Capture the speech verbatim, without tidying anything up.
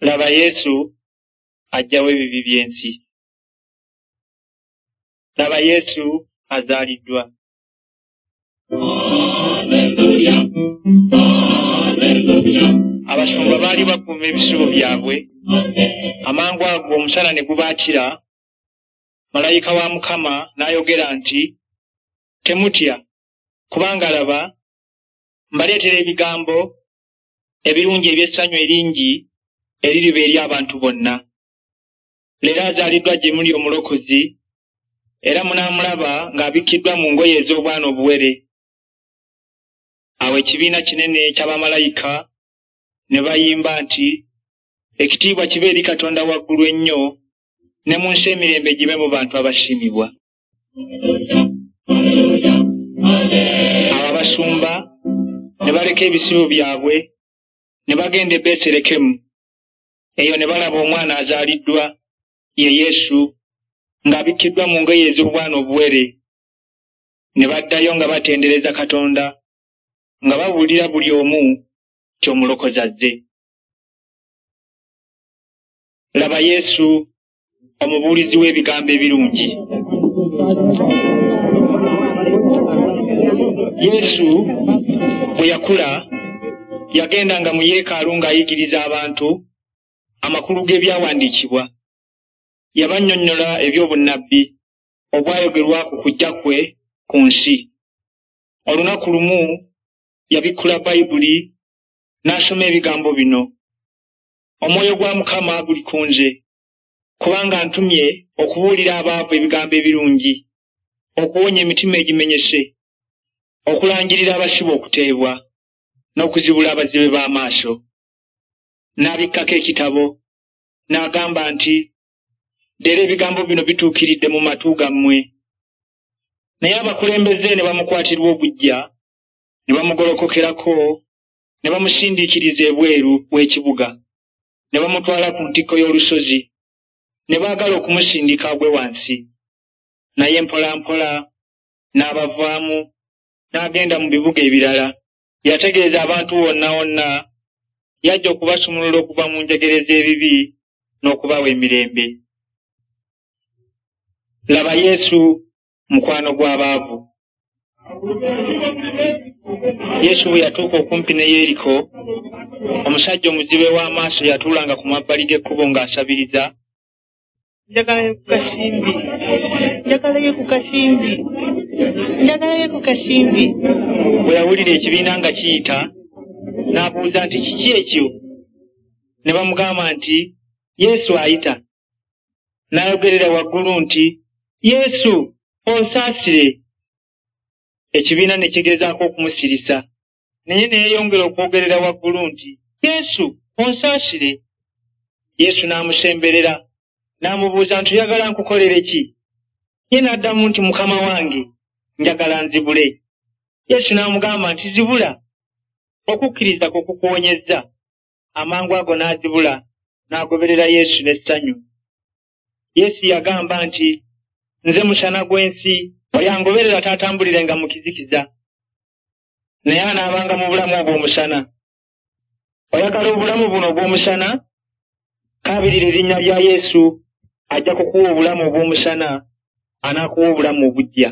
Laba Yesu aggyawo ebibi by'ensi. Laba Yesu azaaliddwa. Abasumba baali bakuuma ebisibo byabwe, amangu ago omusana ne gubaakira, malayika wa Mukama n'ayogera nti, "Temutya, kubanga laba, mbaleetera ebigambo ebirungi eby'essanyu eringi eririba eri abantu bonna. Leero azaaliddwa gye muli Omulokozi, era munaamulaba ng'abikkiddwa mu ngoye ez'obwana obuwere." Awo ekibiina kinene eky'abamalayika ne bayimba nti, "Ekitiibwa kibe eri Katonda waggulu ennyo, ne mu nsi emirembe gibe mu bantu abasiimibwa." Awo abasumba ne baleka ebisibo byabwe ne bagenda e Besirekemu. Eyo ne balaba omwana azaaliddwa, ye Yesu, ng'abikkiddwa mu ngoye ez'obwana obuwere. Ne baddayo nga batendereza Katonda, nga babuulira buli omu nti Omulokozi azze. Laba Yesu, omubuulizi w'ebigambo ebirungi. Yesu bwe yakula, yagendanga mu yeekaalu ng'ayigiriza abantu amakulu g'ebyawandiikibwa. Yabannyonnyola eby'obunnabbi obwayogerwa ku kujja kwe ku nsi. Olunaku lumu yabikkula Bayibuli n'asoma ebigambo bino: "Omwoyo gwa Mukama guli ku nze, kubanga antumye okubuulira abaavu ebigambo ebirungi, okuwonya emitima egimenyese, okulangirira abasibe okuteebwa, n'okuzibula abazibe b'amaaso." N'abikkako ekitabo, n'agamba nti, "Leero ebigambo bino bituukiridde mu matu gammwe." Naye abakulembeze ne bamukwatirwa obuggya, ne bamugolokokerako, ne bamusindiikiriza ebweru w'ekibuga, ne bamutwala ku ntikko y'olusozi, ne baagala okumusindika agwe wansi. Naye mpolampola n'abavaamu, n'agenda mu bibuga ebirala. Yategeeza abantu wonna wonna, yajja okubasumulula okuva mu njegere z'ebibi n'okubawa emirembe. Laba Yesu, mukwano gw'abaavu. Yesu bwe yatuuka okumpi ne Yeriko, omusajja omuzibe w'amaaso yatuulanga ku mabbali g'ekkubo ng'asabiriza. Njagalayo ku kasimbi, njagalayo ku kasimbi, njagalayo ku kasimbi. Bwe yawulira ekibiina nga kiyita, n'abuuza nti, "Kiki ekyo?" Ne bamugamba nti, "Yesu ayita." N'ayogerera waggulu nti, "Yesu, onsaasire." Ekibiina ne kigezaako okumusirisa, naye ne yeeyongera okwogerera waggulu nti, "Yesu, onsaasire." Yesu n'amusemberera, n'amubuuza nti, "Oyagala nkukolere ki?" Ye n'addamu nti, "Mukama wange, njagala nzibule." Yesu n'amugamba nti, "Zibula, okukkiriza kwo kukuwonyezza." Amangu ago n'azibula, n'agoberera Yesu n'essanyu. Yesu yagamba nti, "Nze musana gw'ensi, oyo angoberera taatambulirenga mu kizikiza, naye anaabanga mu bulamu obw'omusana." Oyagala obulamu buno obw'omusana? Kaabirira erinnya lya Yesu, ajja kukuwa obulamu obw'omusana, anaakuwa obulamu obuggya.